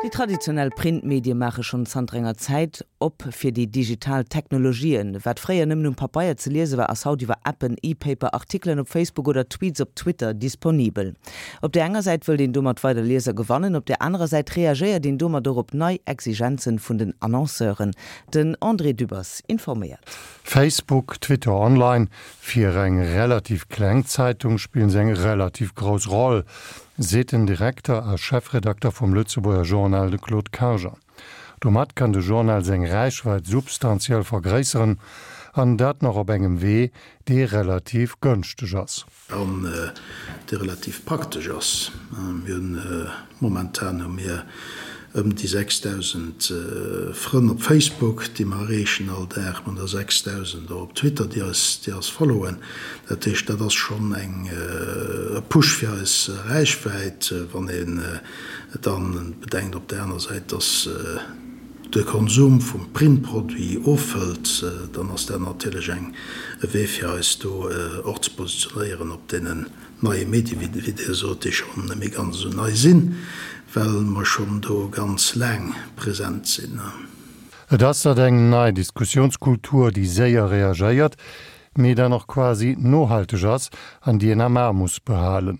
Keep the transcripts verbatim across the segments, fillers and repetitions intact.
Déi traditionell Printmedie maache schonn zanter enger Zäit op fir déi digital Technologien. Wat fréier nëmmen um Pabeier ze liese war, ass haut iwwer Appen, E-Paper, Artikelen op Facebook oder Tweets op Twitter disponibel. Op der enger Säit wëllt een domat weider Lieser gewannen, op der anerer Säit reagéiert een domat och op nei Exigenzen vun den Annonceuren. Den André Dübbers informéiert. Facebook, Twitter Online, Fir eng relativ kleng Zeitung spillen se eng relativ grouss Roll, seet den Direkter a Chefredakter vum Lëtzebuerger Journal, de Claude Karger. Domat kann de Journal seng Räichwäit substantiell vergréisseren, an dat nach op engem Wee, dee relativ gënschteg ass. An dee relativ praktesch ass. Mir hunn momentan hu mir ëm déi sechsdausend Frënn op Facebook, déi mer erreechen all Dag. Mir hunn der sechsdausend och op Twitter, déi eis, déi eis followen. Dat heescht, dat ass schonn eng e Push fir eis Räichwäit. Wann een dann bedenkt op där aner Säit, dass de Konsum vum Printproduit ofhëlt, dann ass dat natierlech eng e Wee fir eis do och ze positionéieren op deenen neie Medie, wéi Dir sot, déi schonn net méi ganz esou nei sinn, well mer schonn do ganz laang present sinn. Et ass dat eng nei Diskussiounskultur, déi séier reagéiert, mee dann och quasi nohalteg ass an déi een am A muss behalen.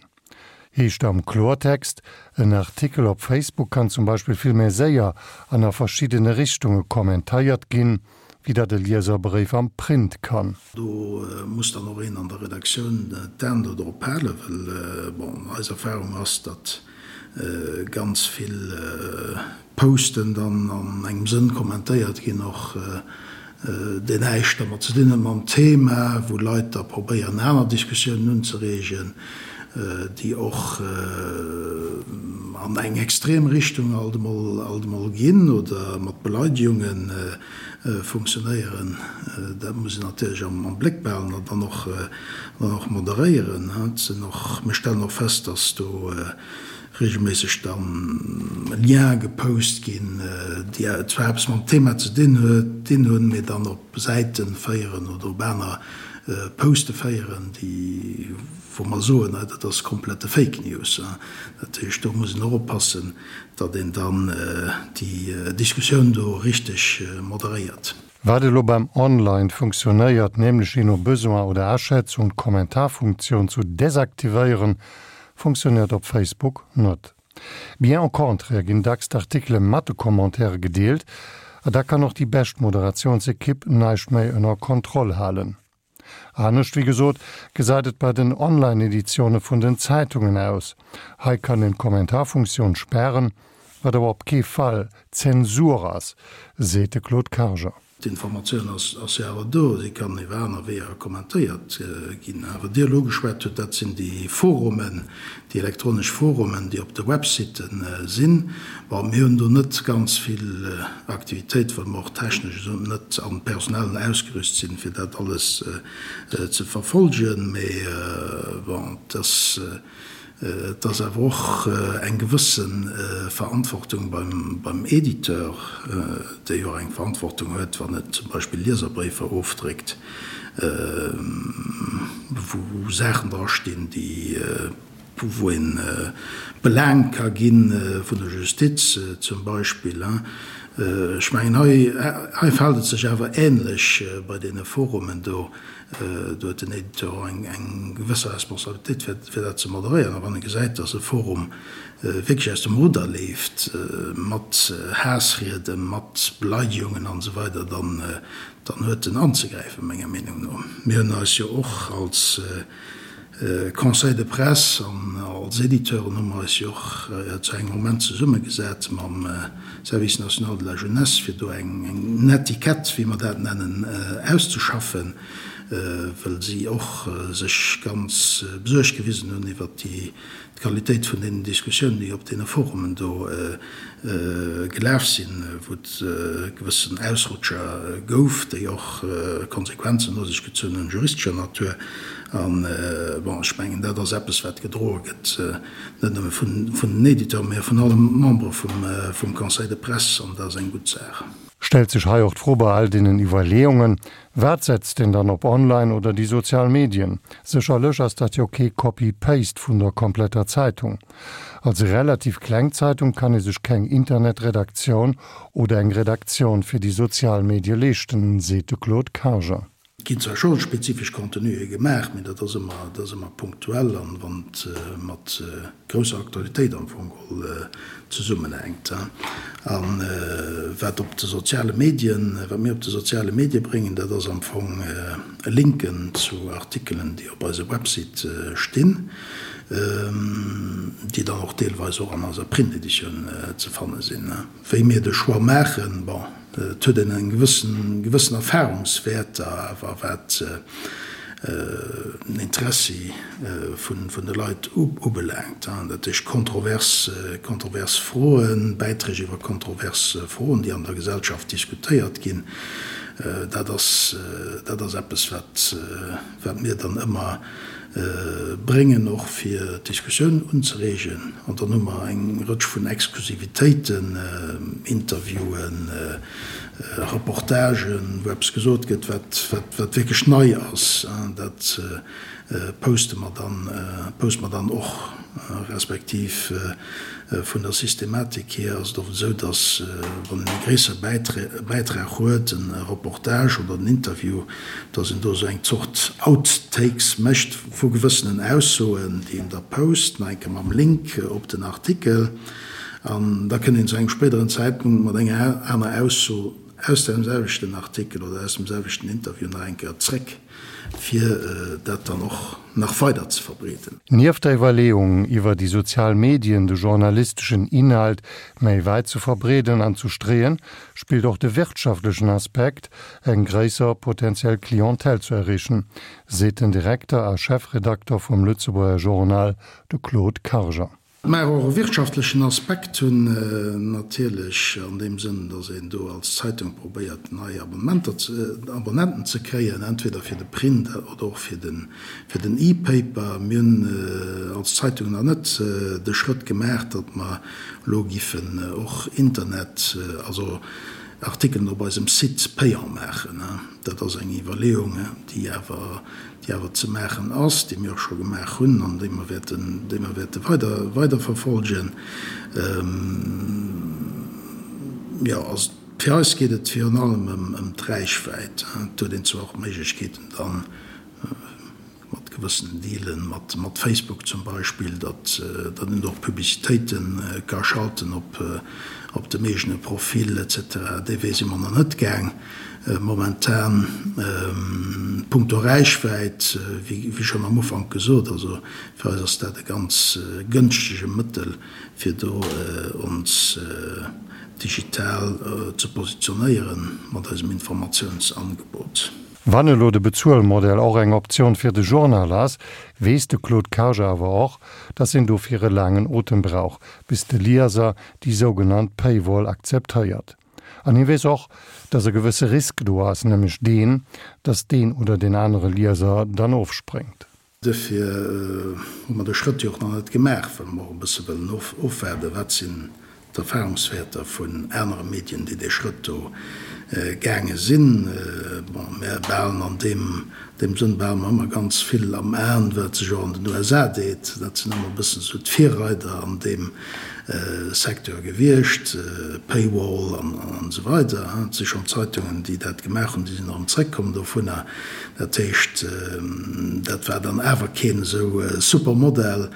Heescht am Kloertext, En Artikel op Facebook kann zum Beispill vill méi séier an a verschiddene Richtunge kommentéiert ginn, wéi dat e Lieserbréif am Print kann. Do muss dann och een an der Redaktioun d'Aen do drop halen, well, bon, eis Erfahrung ass, datt ganz vill Posten dann an engem Sënn kommentéiert ginn, och deen näischt dermat ze dinn huet mam Thema, wou Leit da probéieren aner Diskussiounen unzereegen, déi och an eng extrem Richtung alt emol alt emol ginn oder mat Beleidigunge funktionéieren. Dat muss een natierlech am Bléck behalen an dann och dann och moderéieren. Et sinn och, mir stellen och fest, dass do regelméisseg dann Lien gepost ginn, déi zwar eppes mam Thema ze dinn dinn hunn, mee dann op Säite féieren oder op aner Poste féieren, déi, wou mer soen, hei dat ass komplette Fake News. Dat heescht, do muss een och oppassen, datt een dann déi Diskussioun do richteg moderéiert. Wat elo beim Online funktionéiert, nämlech jee no Besoin oder Aschätzung d'Kommentarfunktioun zu desaktivéieren, funktionéiert op Facebook net. Bien au contraire ginn dacks d'Artikele mat de Commentaire gedeelt a da kann och déi bescht Moderatiounsekipp näischt méi ënner Kontroll halen. Anescht, wéi gesot, gesäit et bei den Online-Editioune vun den Zeitungen aus. Hei kann een d'Kommentarfunktioun spären, wat awer op kee Fall Zensur ass, seet de Claude Karger. D'Informatioun ass jo awer do, si kann iwwer aner Weeër kommentéiert ginn. Awer Dir elo geschwat hutt, dat sinn déi Forumen, déi elektronesch Forumen, déi op de Website sinn. Bon, mir hunn do net ganz vill Aktivitéit, well mer och technesch esou net an personell ausgerüst sinn, fir dat alles ze verfolgen. Mee bon, et ass. Et ass awer och eng gewësse Verantwortung beim Editeur, dee jo och eng Verantwortung huet, wann en zum Beispill Lieserbréifer ofdréckt, wou Saachen drastinn, déi, wou ee belaangt ka gi vun der Justiz zum Beispill. Ech mengen, hei, hei verhält et sech awer ähnlech bei deene Forumen do. Do huet den Editeur och eng gewësse Responsabilitéit, fir dat ze moderéieren. A wann e gesäit, datt e Forum wierklech aus dem Rudder leeft, mat Haassrieden, mat Beleidigungen an esou weider, dann huet en anzegräifen, menger Meenung no. Mir hunn eis jo och als Conseil de presse an als Editeuren hu mer eis jo och zu engem Moment zesummegesat mam Service national de la jeunesse, fir do eng Netiquette, wéi mer dat nennen, auszeschaffen, well si och sech ganz besuergt gewisen hunn iwwert déi d'Qualitéit vun deenen Diskussiounen, déi op deene Forumen do gelaf sinn, wou et gewëssen Ausrutscher gouf, déi och Konsequenzen no sech gezunn hunn, juristescher Natur. An, bon, ech mengen, dat ass eppes, wat gedroe gëtt, net nëmme vun den Editeuren, mä vun alle Membere vum Conseil de presse, an dat ass eng gutt Saach. Stellt sech hei och d'Fro bei all deenen Iwwerleeungen, Wat setzt een dann op Online oder déi sozial Medien? Sécherlech ass dat jo kee Copy-Paste vun der kompletter Zeitung. Als relativ kleng Zeitung kann ee sech keng Internetredaktioun oder eng Redaktioun fir déi sozial Medie leeschten, seet de Claude Karger. Et ginn zwar scho spezifesch Contenuë gemaach, mee dat ass ëmmer, dat ass ëmmer punktuell an wann et mat grousser Aktualitéit am Fong geholl zesummenhänkt. A wat op de soziale Medien, wat mir op de soziale Medie bréngen, dat ass am Fong Linken zu Artikelen, déi op eise Website stinn, déi dann och deelweis och an eiser Printeditioun ze fanne sinn. Wéi mir de Choix maachen, bon, et huet een eng gewëssen, gewëssen Erfahrungswäerter awer wat den Interessi vun, vun de Leit ubelaangt. Dat heescht kontrovers, kontrovers Froen, Bäiträg iwwer kontrovers Froen, déi an der Gesellschaft diskutéiert ginn, dat ass, dat ass eppes, wat, wat mir dann ëmmer bréngen, och fir d'Diskussioun unzereegen. An dann hu mer eng Rëtsch vun Exklusivitéiten, Interviewen, Reportagen, wou eppes gesot gëtt, wat, wat wierklech nei ass. Dat poste mer dann, poste mer dann och, respektiv vun der Systematik hier ass et oft esou, dass, wann een e gréissere Bäitrag huet, e Reportage oder en Interview, dass een do esou eng Zort Outtakes mécht vu gewëssenen Aussoen, déi een da post, nach eng Kéier mam Link op den Artikel, an da kënnt een zu engem spéideren Zäitpunkt mat enger aner Ausso aus deem selwechten Artikel oder aus dem selwechten Interview nach eng Kéier zréck, fir dat dann och nach weider ze verbreeden. Nieft der Iwwerleeung, iwwer déi sozial Medien de journalisteschen Inhalt méi wäit ze verbreeden an ze streeën, spillt och de wirtschaftlechen Aspekt, eng gréisser potentiell Clientèle ze erreechen, seet den Direkter a Chefredakter vum Lëtzebuerger Journal, de Claude Karger. Mä och e wirtschaftlechen Aspekt hunn natierlech an deem Sënn, datt een do als Zeitung probéiert nei Abonnementer ze, Abonnenten ze kréien, entweder fir de Print oder och fir den, fir den E-Paper. Mir hunn als Zeitung nach net de Schrëtt gemaach, datt mer elo giffen och Internet, also Artikelen op eisem Site payant maachen. Dat ass eng Iwwerleeung, déi awer, déi awer ze maachen ass, déi mir och scho gemaach hunn an déi mer wäerten, déi mer wäerte weider, weiderverfolgen. Jo, also fir eis geet et virun allem ëm, ëm d'Räichwäit. Et huet een zwar och Méiglechkeeten dann, mat gewëssenen Dealen, mat, mat Facebook zum Beispill, datt, datt een do och Publicitéite ka schalten op, op dem eegene Profil et cetera. Dee Wee si mer nach net gaang momentan. Punkto Räichwäit, wéi, wéi schonn am Ufank gesot, also fir eis ass dat e ganz gënschtege Mëttel, fir do ons digital ze positionéieren mat eisem Informatiounsangebot. Wann elo de Bezuelmodell och eng Optioun fir de Journal ass, weess de Claude Karger awer och, datt een dofir e laangen Otem brauch, bis de Lieser déi sougenannt Paywall akzeptéiert. An hie weess och, datt e gewësse Risk do ass, nämlech deen, datt deen oder deen anere Lieser dann ofspréngt. Duerfir hu mer de Schrëtt jo och nach net gemaach, well mer och e bësse wëllen ofwaarden, wat sinn d'Erfahrungswäerter vun anere Medien, déi dee Schrëtt do gaange sinn. Bon, mär behalen an deem, deem Sënn behale mer ëmmer ganz vill am Aen, wat sech och an den U S A deet. Dat sinn ëmmer e bëssen esou d'Virreider an deem Secteur gewiescht, Paywall an esou weider. Et si schonn Zeitungen, déi dat gemaach hunn, déi sinn erëm zréckkomm dovunner. Dat heescht, dat war dann awer keen esou super Modell.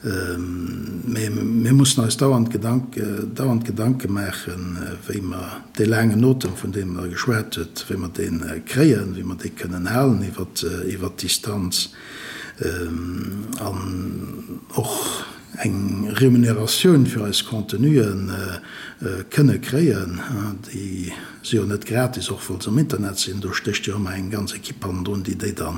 Mee mir mussen eis dauernd dauernd Gedanke maachen, wéi mer dee laangen Otem, vun deem Der geschwat hutt, wéi mer dee kréien, wéi mer dee kënnen halen iwwert d'Distanz an och eng Remuneratioun fir eis Contenue kënne kréien. Déi si jo net gratis, och wa se am Internet sinn. Do stécht jo ëmmer eng ganz Ekipp hannendrun, déi déi da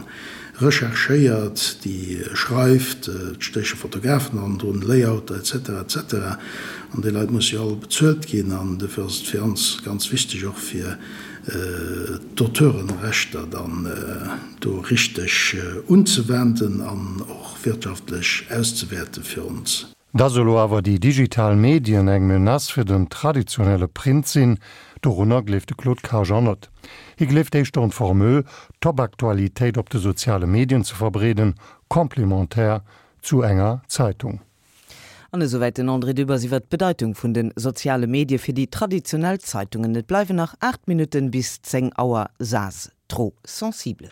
recherchéiert, déi schreift, et stéche Fotografen hannendrun, Layouter etc. Etc. An déi Leit musse jo all bezuelt ginn an dofir ass et fir ons ganz wichteg och fir d'Auteurenrechter dann do richteg unzewenden an och wirtschaftlech auszewäerte fir ons. Dass elo awer déi digital Medien eng Menace fir den traditionelle Print sinn, dorunner gleeft de Claude Karger net. Hie gleeft éischter un d'Formule, Top-Aktualitéit op de soziale Medien ze verbreeden, complémentaire zu enger Zeitung. An esouwäit den André Dübbers iwwer d'Bedeitung vun de soziale Medie fir déi traditionell Zeitungen. Et bleiwen nach aacht Minutten bis zéng Auer. Zaz, trop sensible.